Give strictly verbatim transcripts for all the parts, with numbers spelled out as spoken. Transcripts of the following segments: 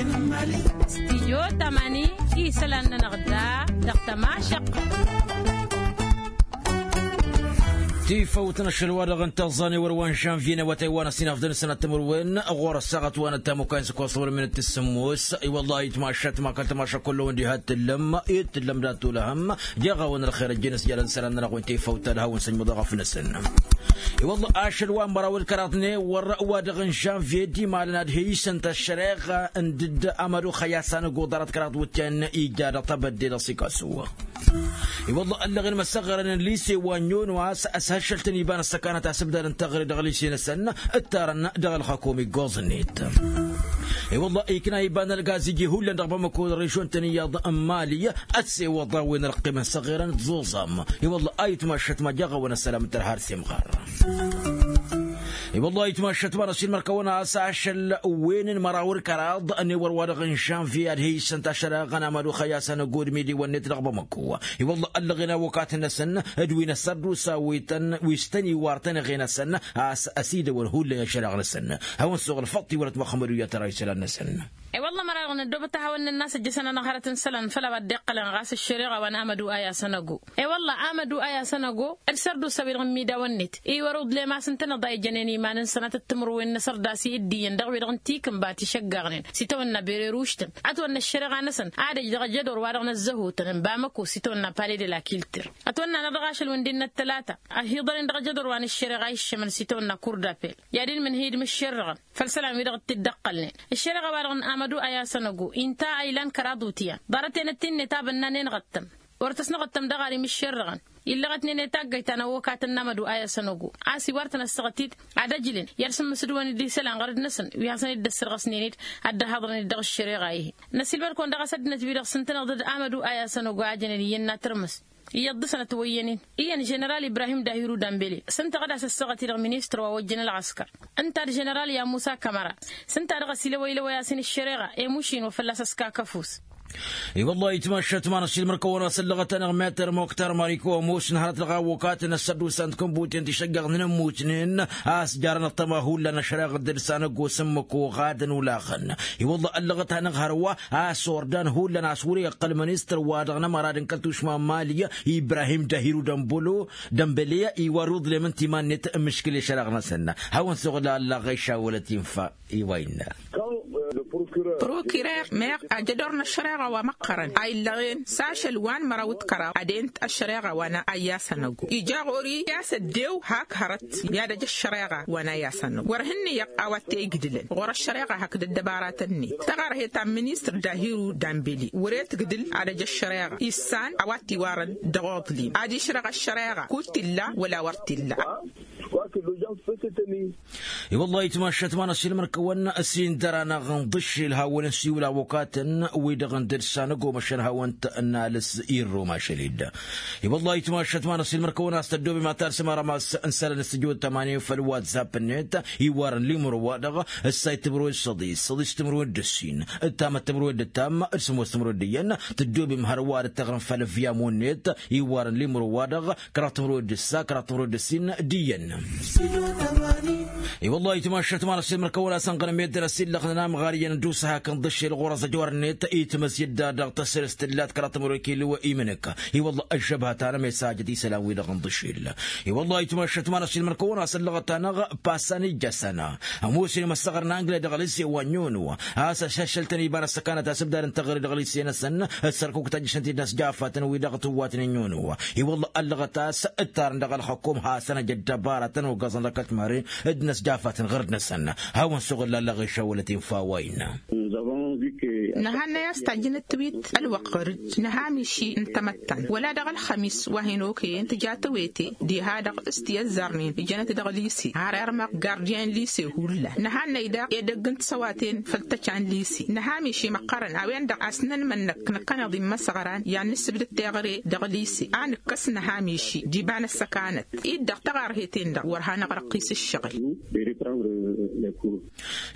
Stijyo tamani isălan-nănăɣ da dăɣ-tămašăqqa. Tifăwt n-ašăl wa-dăɣ n-tăẓẓa n-ewăr wa n-žănvye n-awătay wa n-ăsinafdăn sănat timǝrwen ɣur-ăssaɣăt wa n-ăttamukay n-săkkoẓ wăr-min d-tǝssǝmmos. I-wăllah itmašat ma kăl-tămaša kullăwăn diha t-tǝllăm i-t-tǝllăm dat-tulăhăm jeɣ-awăn ălxer ăjjeen s-jalăn isălan-nănăɣ wi n-tifăwt ad-hawăn-săjmăḍ aɣăf-năsăn. I-wălla ašăl wa n-măraw d-kăraḍ n-ewăr wa dăɣ-n žănvye d-imalăn ad-he-isǝnt ăššăreɣa n-dd-amădu xăyas anăgo ḍarăt kăraḍ wǝtyan ija dăɣ-tebădde dăɣ-sikasǝw. I-wălla ăllăɣen măsăɣărăn n-lise wa n-yonu a-s ăshăššăl-tăn iba n-ăssăkanăt asǝbdad n-taɣre dăɣ-lise-năsăn ǝttarăn dăɣ-ălxăkom iggoẓ-net. I-wălla ikna iba n-ălgaz iji hullan dăɣ-bamăko d-režon-tăn iyyăḍ n-mali ăssewăḍ a-wen ălqimăn s-aɣerăn d-ẓuẓam. I-wălla a itmašăt ma jaɣ-awăn ăssălam n-tărha ar s-imɣar. I-wălla itmašăt ma n-ăsilmăr-kăwăn a-s ašăl wen n-măraw d-kăraḍ n-ewăr wa-dăɣ n-žănvye ad-he-isǝnt ašăl aɣăn amădu xăyasăn ăgod midi-wăn-net dăɣ-bamăko. I-wălla ăllăɣen awăkat-năsăn d-wi n-ăssărdusa wi s-tăn-iwar tănăɣe-năsăn a-s ăsidăwăn hullan i-ašăl aɣ-năsăn. Hawăn-suɣ ălfăṭṭ iwălăt măxămădu i-ad-tăra isălan-năsăn. I-wălla măraw n-ăddoobăt ad-hawăn-nănn a-s ăjjăsăn-anăɣ hărăt n-isălan făll-a-wa dd-iqqălăn ɣas ăššăreɣa wa n-amădu a i-asăn-ăggo. I-wălla amădu a i-asăn-ăggo d-sărdusa-wi-dăɣ n-imidawăn-net iwăr uḍlem a-s ǝntăneḍ a ijănen iman-năsăn ad-t-tǝmrǝwen n-asărdas i-dd-iyyăn dăɣ-wi-dăɣ n-tikǝnba ti šăggaɣnen s-itawănna bereruštăn. Ătwănna ăššăreɣa-năsăn ad-ăj dăɣ-ajădor wa-dăɣ n-ăzzăhutăn n-bamăko s-itawănna pale de la kilter. Ătwănna-năɣ dăɣ-ašăl wi n-dd-innă ăttălata ăhiḍănen dăɣ-ajădor wa n-ăššăreɣa iššămăn s-itawănna kurdapel i-ad-inmǝnhǝy d-imǝššerrăɣăn făll-isălan-wi-dăɣ dd-t-dd-ăqqălnen. Ăššăreɣa-wa-dăɣ n-amădu a i-asăn-ăggo inta a ilan kăraḍ utyan ḍarăt-en ăttinnǝy tabănna n-enɣăttăm. Wăr tăsnăɣăttăm dăɣ-ar imǝššerrăɣăn illăɣătnen i-taggăyt ta n-ăwwăkatăn n-amădu a i-asăn-ăggo. A-s iwar-tăn ăssaɣăt-dd ad-ăjlen i-ad-sǝmmǝsǝdwăn-dd isălan ɣărăd-năsăn wi hasăn-dd-ăssărɣăsnen-dd ad-dd-ăhaḍrăn-dd dăɣ-ăššăreɣa-ihi. Năsilmăd-kăwăn dăɣ-a-s ăddinăt-wi-dăɣ s-ǝntăneḍ d-amădu a i-asăn-ăggo a jănen iyyăn n-ad-tărmǝs iyyăḍ dăɣ-săn ătwăyyănen. Iyyăn ženeral ibrahim dahiru dambele s-ǝnta ɣǝd-as ăssaɣăt-i-dăɣ ministăr wa ojjăn ălɣăskăr ǝnta d-ženeral yamusa kămăra. S-ǝnta-dăɣ ăsilăwăy-lăwăy-as-in ǝššăreɣa i-mušin wa fălla-s ăskakăfus. I-wăllah itmašat ma n-ašilmăr-kăwăn-as ăllăɣăt-anăɣ meter moktar mariko ămoos n-hărăt dăɣ-awăkatăn ăssărdusant kănbuten ti šăggăɣnen ămmuutnen a-s jarăn ăṭṭăma hullan ăššăreɣ dd-ǝlsan ăggoos ǝmmǝk oɣadăn ulaɣăn. I-wăllah ăllăɣăt-anăɣ hărwa a-s ordan hullan a-s wăr-iqqăl ministăr-wa-dăɣ n-ămărad n-kăl-tušma n-mali ibrahim dahiru dămbăle iwar uḍlem ǝnta iman-net. Ǝmmǝškǝl i-ašăreɣ-năsăn hawăn-suɣǝl allaɣ išawălăt infa. I-wa innă prokirer meɣ ajădor n-ăššăreɣa wa măqqărăn a illăɣen s-ašăl wa n-măraw d-kăraḍ ad-ent ăššăreɣa wa n-a i-asăn-ăggu ija ɣur-i i-a-s ăddew hak hărăt i-ad-ăj ăššăreɣa wa n-a i-asăn-ăggu wăr hǝnnǝyăɣ a-wa t-e-igdǝlăn ɣur-ăššăreɣa hakd ăddăbaratăn-net tăɣărhet ta n-ministăr dahiru dambeli wăr-e-tǝgdǝl ad-ăj ăššăreɣa issan a-wa t-iwarăn dăɣ-oḍlim ad-išrăɣ ăššăreɣa kud t-illa wăla wăr t-illa. I-wăllah itmašat ma n-ašilmăr-kăwăn s-indăr-anăɣ n-iḍǝššel hawăn-ăsiwǝl awăkatăn wi-dăɣ n-dăr-s anăgomăšăn hawăn-t-nalǝs irrum ašăl-dd. I-wăllah itmašat ma n-ašilmăr-kăwăn a-s tăddoobem ad-talsăm arămas n-isălan s-tijot tămanin făll-whatsapp-net iwar n-limro-wa-dăɣ ǝssay timǝrwen d-săḍis săḍis timǝrwen d-ǝssin ǝttamăt timǝrwen d-ǝttam d-sǝmmos timǝrwen d-iyyăn. Tăddoobem hărwa ad-dd-tăɣrǝm făll-ăvviyam-wăn-net iwar n-limro-wa-dăɣ kăraḍ timǝrwen d-ǝssa kăraḍ timǝrwen d-ǝssin d-iyyăn. I-wăllah itmašat ma n-ašilmăr-kăwăn a-s ănɣănăm i-dd-năsillăɣ n-amɣar iyyăn d-usǝhak n-iḍǝššel ɣur-ăẓăjor-net itmǝzjǝd-da-dăɣ tăsrǝst tǝllat kăraḍ timǝrwen kilo wa imǝnǝk. I-wăllah ăžžăbhăt-anămesajăt isălan-wi-dăɣ n-iḍǝššel. I-wăllah itmašat ma n-ašilmăr-kăwăn a-s ăllăɣăt-anăɣ passan ijjăsăn ămoos-in imăssăɣăr n-angle dăɣ-lise wa n-yonu a-s ăššăššăl-tăn iba n-ăssăkanăt asǝbdad n-teɣăre dăɣ-lise-năsăn. Ăssărkukăt ajjăšăn-t-dd inăsjafătăn wi dăɣ-tǝwwatnen yonu. I-wălla ăllăɣăt a-s ǝttarăn dăɣ-ălxăkkom hasăn-ăj ăddăbarătăn ogăẓăn dăɣ-kăl-timăre d-inăsjafătăn ɣărd-năsăn. Hawăn-suɣǝl allăɣ išăwălăt infa wa innă. Nǝhannăy a-s tajjǝnăt-wit ălwăqq ɣăr-dd nǝha miši n-tamăttant wăla dăɣ-ălxămis wa hin-okăyăn tǝja tawete diha-dăɣ s-ti ăzzarnen ǝjănăt dăɣ-lise har irmăɣ gardiyen lise hullan nǝhannăy daɣ edăgg n-tisăwaten făll-tăčan lise nǝha miši măqqărăn a-wen-dăɣ a-s năn-mănnăk năkkăneḍ immăsăɣran i-ad-nǝssǝbdăd teɣăre dăɣ-lise a nǝkkăs nǝha miši d-iba n-ăssăkanăt-dd-dăɣ tăɣarheten-dăɣ wăr hanăɣrăqqis ǝššăɣǝl.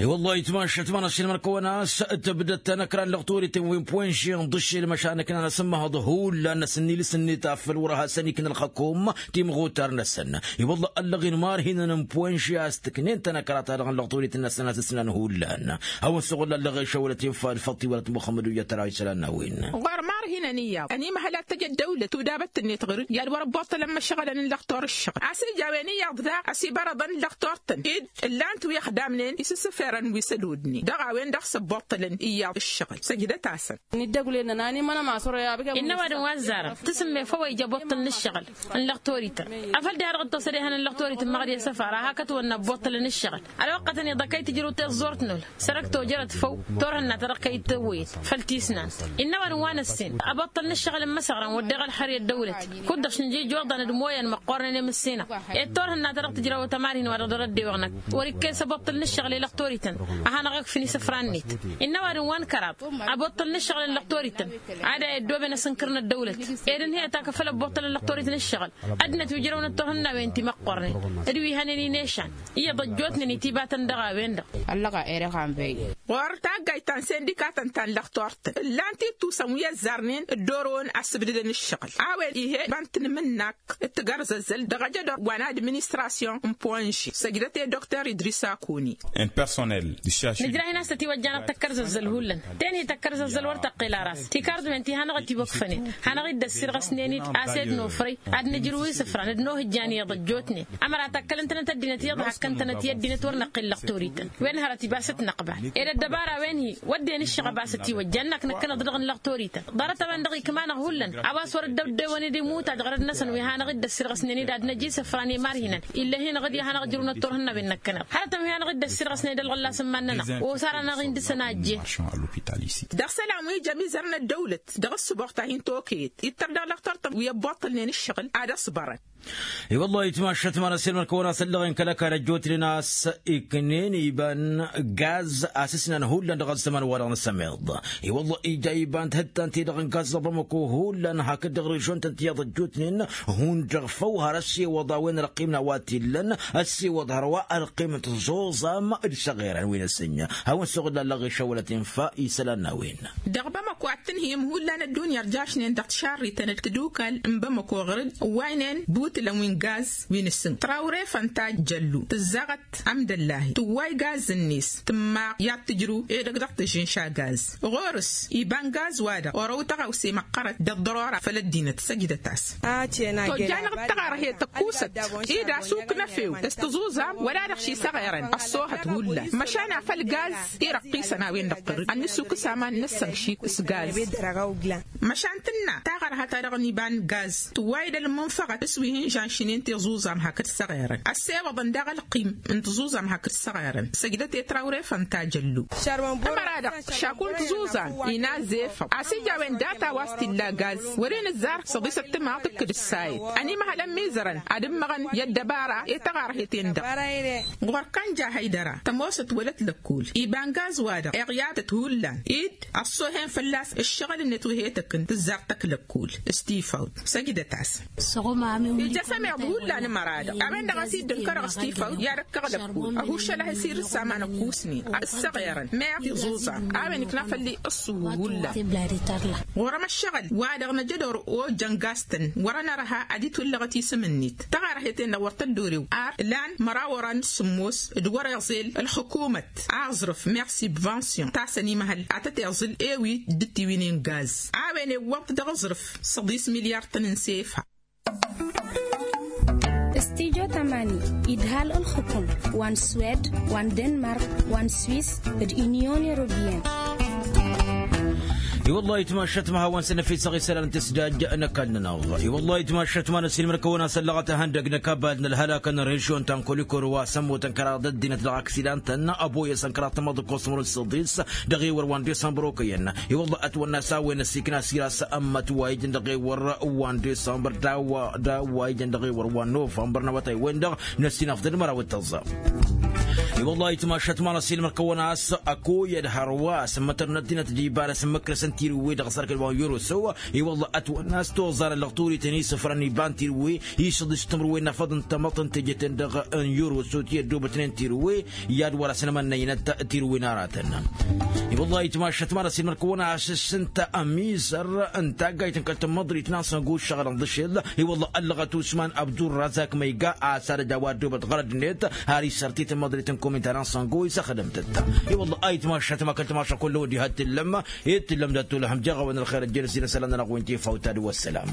I-wăllah itmašat ma n-ašilmăr-kăwăn a-s tǝbdăd-tăn. Kăra n-lăɣtorităn wi n-puwănši n-ḍǝššel măšan ǝknan asǝmmăhăḍ hullan n-asǝnnilǝs-net a făl wăr-hasăn-ikna ălxăkom timɣutar-năsăn. I-wălla ăllăɣen marhinăn n-puwănši a-s tǝknen-tăn ăkra-ta-dăɣ n-lăɣtorităn-năsăn a-s ǝsnan hullan. Hawăn-suɣǝl ăllăɣen šăwălăt infa d-făṭṭiwălăt muxămmăd uyyăt tăra isălan n-a-wen. Ɣur-marhinăn iyyăḍ ănimăhăl ad-tăj ăddăwlăt tudabăt-net ɣur-dd i-ad-wăr-ăbbuṭṭălăn imăšɣălăn n-lăɣtor ǝššăɣǝl a-s ija a-wen iyyăḍ daɣ a-s ibărăḍăn lăɣtor-tăn-dd ǝllan-t wi ăxdamnen isǝssǝferăn wi s-ădodnen dăɣ-a-wen-dăɣ s-ăbbuṭṭălăn iyyăḍ ǝššăɣǝl săjdăt-asăn. Innă ăwadǝm wa ăzzarăn tǝsǝmme făw a ija ăbuṭṭăl n-ǝššăɣǝl n-lăɣtorităn. Afăl diha-dăɣ dd-tosăd ehăn n-lăɣtorităn măɣ d-e-săfar a hak ătwănna ăbbuṭṭălăn ǝššăɣǝl ălwăqqătăn-i-dăɣ kăy-tǝjrǝw tiẓẓurt n-ăwlăt sărăk tojărăt făw turhǝnna-ta-dăɣ kăy-tăwwăyăt făll-tisnant. Innă ăwadǝm wa n-ăssin ăbbuṭṭăl n-ǝššăɣǝl n-imăsăɣrăn wădden ălxăr i-ăddăwlăt kud-dăɣ šǝnjij oḍan d-imoyăn măqqoornen i-mǝssinăɣ. Ed turhǝnna-ta-dăɣ tǝjrawăt ămarhin wa-dăɣ dăr-ăddewăɣ-năk wăr-ikkes ăbbuṭṭăl n-ǝššăɣǝl i-lăɣtorităn. Ad-hanăɣ-ǝkfǝn isǝfran-net. Innă ăwadǝm wa n-kăraḍ ăbbuṭṭăl n-ǝššăɣǝl n-lăɣtorităn ad-a-i ăddooben asǝnkăr n-ăddăwlăt. Ed ǝnhăyăt a kăfăl ăbbuṭṭăl n-lăɣtorităn ǝššăɣǝl ăddinăt wi ǝjrăwnăt turhǝnnawen timăqqornen d-wi hănen inešan iyyăḍ ăjjootnen itibatăn dăɣ-a-wen-dăɣ. Ɣur-taggayt ta n-sindikatăn ta n-lăxtor-tăn ǝllan-t ittusăn wi ăzzarnen dd-orăwăn a-s ǝbdǝdăn ǝššăɣǝl a-wen ih'-e iba n-tinǝmǝnnak d-tagărzăzzăl dăɣ-ajădor wa n-administrasyon n-puwănži săjdăt-e dokter idris akuni. Nǝjrah-in a-s tătiwăjja-năɣ tăkkărzăzzăl hullan tenhi tăkkărzăzzăl wăr tăqqel ara a-s tikardǝwen ti hanăɣ-ătiwăkfănen hanăɣ-dd-ăssirɣăsnen-dd a-s ed nofrăy ad-nǝjrǝw isǝfran d-nohǝjjan iyyăḍ ăjjootnen. Ămăra tăkkălăn-tănăt ăddinăt iyyăḍ hakkăn-tănăt i-ăddinăt wăr năqqel lăqtorităn wen hărăt ibas t-năqbal ed ăddăbara-wen-hi wădden ǝššăɣăb a-s ătiwăjja ănn-ak năkkăneḍ-dăɣ n-lăqtorităn. Ḍarăt-a-wen-dăɣ ikma-năɣ hullan a-wa s-wăr-dd-ăwdewăn d-imut ad-ɣărăd-năsăn wi hanăɣ-dd-ăssirɣăsnen-dd ad-năj isǝfran i-marhinăn. Ill'-e-hi-năɣ d-i ad hanăɣ-ǝjrǝwnăt turhǝnnawen-năkkăneḍ hărătăn wi hanăɣ-dd-ăssirɣăsnen d-ălɣăllas n-iman-nănăɣ. Osar-anăɣ-in dăɣ-săn a ăjjeen. Dăɣ-isălan wi ija ămizăr n-ăddăwlăt dăɣ-ǝssǝboɣ ta hin-tokăyăt ittăr dăɣ-lăxtor-tăn wi ăbboṭṭălnen ǝššăɣǝl ad-ăṣbărăn. I-wăllah itmašat ma n-ăssiilmăr-kăwăn a-s ăllăɣen kăl-ăkall ăjjootnen a-s iknen iba n-gaz a-s ǝsnan hullan dăɣ-ăzzăman-wa-dăɣ n-asămeḍ. I-wăllah ija iba n-tihǝttan-ti-dăɣ n-gaz dăɣ-bamăko hullan hakd dăɣ-režon-tăn tiyyăḍ ăjjootnen hundăɣ făw har ăssiwăḍ a-wen ălqim n-a-wa t-illăn ăssiwăḍ hărwa ălqim n-tiẓuẓam d-isăɣerăn wi n-ăsǝnja. Hawăn-suɣǝl ăllăɣ išăwălăt infa isălan n-a-wen. Dăɣ-bamăko ad-tǝnhǝyăm hullan ăddunya ărjašnen dăɣ-tišarrităn d-tadukal n-bamăko ɣur-dd ǝwwaynen butǝlăn wi n-gaz wi n-asǝnk trawre fănta jăllu tǝzzaɣăt amdăllahi tǝwway gaz-net tǝmmaɣ i-ad-tǝjrǝw edăgg dăɣ-tǝžžǝnša gaz. Ɣur-s iba n-gaz-wa-dăɣ orăw tăɣawse măqqărăt d-ăḍḍărora făll-ăddinăt săjdăt-as. Tojja-năɣ d-taɣărhet ăkkusăt ed asuk n-efew s-tǝẓuẓam wăla dăɣ-ši săɣerăn ăṣṣoohăt hullan măšan afăl gaz. Irăqqisăn a-wen-dăɣ tărǝd ad-nǝsukǝs aman n-ăssănk šik s-gaz. Măšan tǝnna taɣărha-ta-dăɣ n-iba n-gaz tǝwway-dd ălmunfăɣăt s-wi hin-žanšnen tiẓuẓam hakd săɣerăn ăssewăḍăn daɣ ălqim n-tiẓuẓam hakd săɣerăn săjdăt i-trawre fănta jăllu. Ămăra-dăɣ šaku n-tiẓuẓam inazefăɣ a-s ija a-wen data wa s-t-illa gaz wăren ǝzzar săḍisăt timaɣ tǝkkǝd ǝssayăt ănimăhăl ămmizărăn ad-ǝmmăɣăn i-ăddăbara i-taɣărhet-en-dăɣ. Ɣur-kănja hăydăra tămoosăt wălăt lăkkul iba n-gaz-wa-dăɣ iɣyatăt hullan dd-ăṣṣoohen fălla-s ǝššăɣǝl-net wi he-tăkk n-tǝzzar tăkk lăkkul. Stifawt săjdăt-as. Ija s-ămeḍ hullan ămăra-dăɣ a-wen-dăɣ a-s iddǝn kăreɣ stifawt i-ad-ăkkăɣ lăkkul ăhušăl a hi-sirǝssa aman ăkkusnen ăssăɣerăn meɣ tiẓuẓa a-wen ikna făll-i ǝṣṣuhu hullan. Ɣur-ămăššăɣǝl-wa-dăɣ năjădor ojăn gaz-tăn wăr-ănărha ad-itwǝllăɣăt isǝm-net taɣărhet-en-dăɣ wăr tăddorew ar lan măraw oran d-sǝmmos d-wăr-iẓel ălxǝkumăt aẓrǝf meɣ sibvansyon ta s-ănimăhăl ad-tăt-iẓǝl ewi d-tiwǝynen gaz a-wen ewwăḍ-t dăɣ-aẓrǝf săḍis milyar-tăn n-sefa. Studyo tamani idhal ǝlxǝkǝm wa n-swed wa n-denmark wa n-swis d-unyon europeyăn. I-wăllah itmašat ma hawăn-săn ăfisăɣ isălan n-tǝsdaj n-ăkall-nănăɣ. I-wăllah itmašat ma n-ăsilmăr-kăwăn a-s ăllăɣăt ehăndăg n-ăkabal n-ălhălak n-režyon ta n-kolikor wa s-ămmutăn kăraḍ ăddinăt dăɣ-aksidan-tăn ăboyăsăn kăraḍ tamăḍ ǝkkoẓ timǝrwen s-săḍis dăɣ-ewăr wa n-disămbăr okăyăn. I-wălla ătwănna s-a-wen ăsikna s-ira s-ămmăt wa ijăn dăɣ-ewăr wa n-disămbăr d-a-wa d-a-wa ijăn dăɣ-ewăr wa n-novămbăr n-awătay-wen-dăɣ n-ăssinăfḍăd măraw d-tăẓẓa. I-wălla ayǝtmašat mara s-ilmăr kăwăn-as ăkoyăd hărwa s-ǝmmătăr n-ăddinăt d-iba n-asǝmmǝkrăsăn tirǝwwe dăɣ-sărkăl wa n-yoroso. I-wălla ătwănna s-toẓarăn lăɣturităn isǝfrăn iba n-tirǝwwe isǝḍis timǝrwen n-afăḍ n-tamăḍt n-teje-ten-dăɣ n-yoroso ti ăddoobătnen tirǝwwe i-ad-wăr-asăn ămănnăynăt tirǝwwe n-aratăn. I-wălla ayǝtmašat mara s-ilmăr kăwăn-as s-ǝnta ămizăr n-taggayt n-kăl-tămmăḍrit n-asăngo ǝššăɣǝlăn d-ašel. I-wălla ăllăɣăt usman abdurrazak ma iga a-s ad-ăj a-wa ăddoobăt ɣărăd-net har isărtit n-măḍrit n-kominta n-asăngo isăxdăm-tăt. I-wălla ayǝtmašat ma kăl-tămaša kull-ăwăd ihad t-illăm. Ed t-illăm dat-tulăhăm jeɣ-awăn ălxer ăjjălăs-in ăsălan n-ănăɣ-wen tefawt ad-wăssălam.